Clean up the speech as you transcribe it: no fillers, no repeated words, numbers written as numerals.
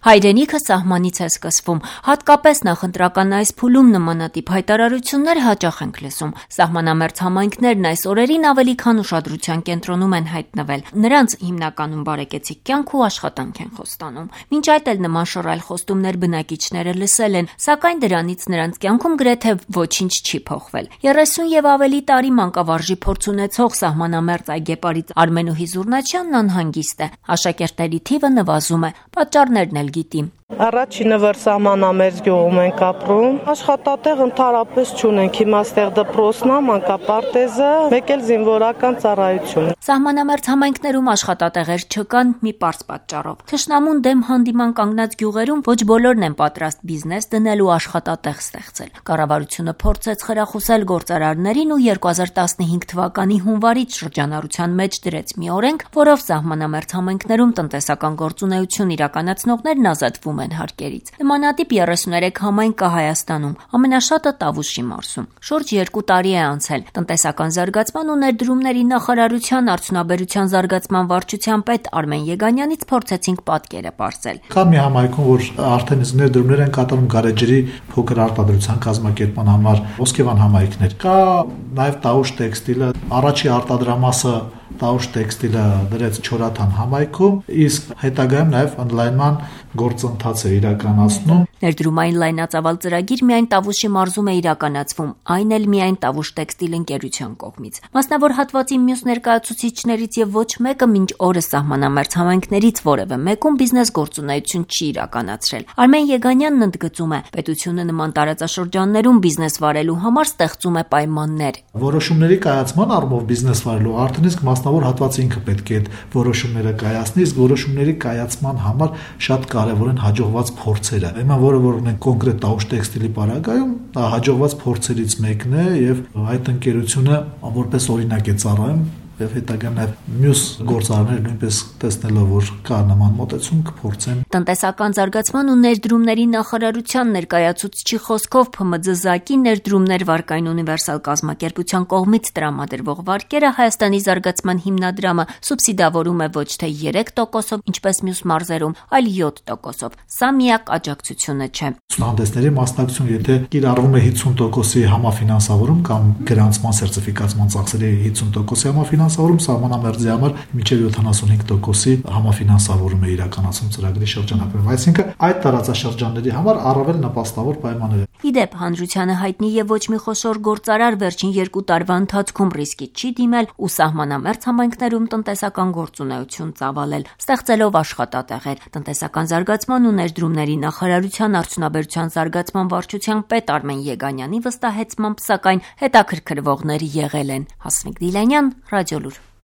Հայրենիքը սահմանից է սկսվում, հատկապես նախընտրական այս փուլում նմանատիպ հայտարարություններ հաճախ ենք լսում։ Սահմանամերձ համայնքներն այս օրերին ավելի քան ուշադրության կենտրոնում են հայտնվել։ Նրանց հիմնականում բարեկեցիկ կյանք ու աշխատանք են խոստանում։ Մինչ այդ էլ նման շռայլ խոստումներ բնակիչները լսել են, սակայն դրանից նրանց կյանքում գրեթե ոչինչ չի փոխվել։ 30 եւ ավելի տարի մանկավարժի փորձ ունեցող սահմանամերձ այգեպարից Արմենուհի Զուռնաչյանն անհանգիստ է։ Աշակերտների թիվը նվազում է, պատճառներն էլ գիտի։ Առաջինը որ սահմանամերձ գյուղում ենք ապրում, աշխատատեղ ընդհանրապես չունենք, հիմա ստեղ դպրոցն է, մանկապարտեզը, մեկ էլ զինվորական ծառայություն։ Սահմանամերձ համայնքներում աշխատատեղեր չկան մի պարզ պատճառով։ Թշնամուն դեմ հանդիման կանգնած գյուղերում ոչ բոլորն են պատրաստ բիզնես դնել ու աշխատատեղ ստեղծել։ Կառավարությունը փորձեց խրախուսել գործարարներին ու 2015 թվականի հունվարից շրջանառության մեջ դրեց մի օրենք, որով սահմանամերձ համայնքներում տնտեսական գործունեություն իրականացնողներն ազատվում են հարկերից։ Նմանատիպ 33 համայնք կա Հայաստանում, ամենաշատը Տավուշի մարզում։ Շուրջ 2 տարի է անցել։ Տնտեսական զարգացման ու ներդրումների նախարարության արդյունաբերության զարգացման վարչության պետ Արմեն Եգանյանից փորձեցինք պատկերը պարզել։ Կա մի համայնքում, որ արդեն իսկ ներդրումներ են կատարում գարեջրի փոքր արտադրության կազմակերպման համար, Ոսկեվան համայնքներ։ Կա նաև Տավուշ տեքստիլը, առաջի արտադրամասը Տավուշ տեքստիլը դրեց Չորաթան համայնքում, իսկ հետագայում նաև ընդլայնման գործընթաց է իրականացնում։ Ներդրումային լայնածավալ ծրագիր միայն Տավուշի մարզում է իրականացվում, այն էլ միայն Տավուշ տեքստիլ ընկերության կողմից։ Մասնավոր հատվածի մյուս ներկայացուցիչներից եւ ոչ մեկը մինչ օրս սահմանամերձ համայնքներից որևէ մեկում բիզնես գործունեություն չի իրականացրել։ Արմեն Եգանյանն ընդգծում է, պետությունը նման տարածաշրջաններում բիզնես վարելու համար ստեղծում է պայմաններ։ Որոշումների կայացման առումով բիզնես վարելու արդեն իսկ մասնավոր հատվածը ինքը պետք է այդ որոշումները կայացնի, իսկ որոշումների կայացման համար շատ կարևոր են հաջողված փորձերը։ Հիմա որը որ ունենք կոնկրետ Տավուշ տեքստիլի պարագայում, հաջողված փորձերից մեկն է եւ այդ ընկերությունը որպես օրինակ է ծառայում եւ հետագայում նաեւ մյուս գործարարները նույնպես տեսնելով որ կա նման մոտեցում կփորձեն։ Տնտեսական զարգացման ու ներդրումների նախարարության ներկայացուցչի խոսքով ՓՄԶ-ԶԱԿ-ի ներդրումներ վարկային ունիվերսալ կազմակերպության կողմից տրամադրվող վարկերը Հայաստանի զարգացման հիմնադրամը սուբսիդավորում է ոչ թե 3%-ով, ինչպես մյուս մարզերում, այլ 7%-ով։ Սա միակ աջակցությունը չէ։ Ցուցահանդեսների մասնակցություն, եթե կիրառվում է 50%-ի համաֆինանսավորում կամ գրանցման սերտիֆիկացման ծախսերի 50%-ի համաֆինանսավորում, սահմանամերձի համար մինչև 75%-ի համաֆինանսավորում է իրականացում ծրագրի շրջանակներում։ Այսինքն այդ տարածաշրջանների համար առավել նպաստավոր պայմաններ են։ Իդեպ հանրությանը հայտնի եւ ոչ մի խոշոր գործարար վերջին 2 տարվա ընթացքում ռիսկի չի դիմել ու սահմանամերձ համայնքներում տնտեսական գործունեություն ծավալել, ստեղծելով աշխատատեղեր։ Տնտեսական զարգացման ու ներդրումների նախարարության արդյունաբերության զարգացման վարչության պետ Արմեն Եգանյանի վստահեցմամբ, սակայն հետաքրքրվողներ եղել են։ Հասմիկ Դիլանյան, Ռադիոլուր։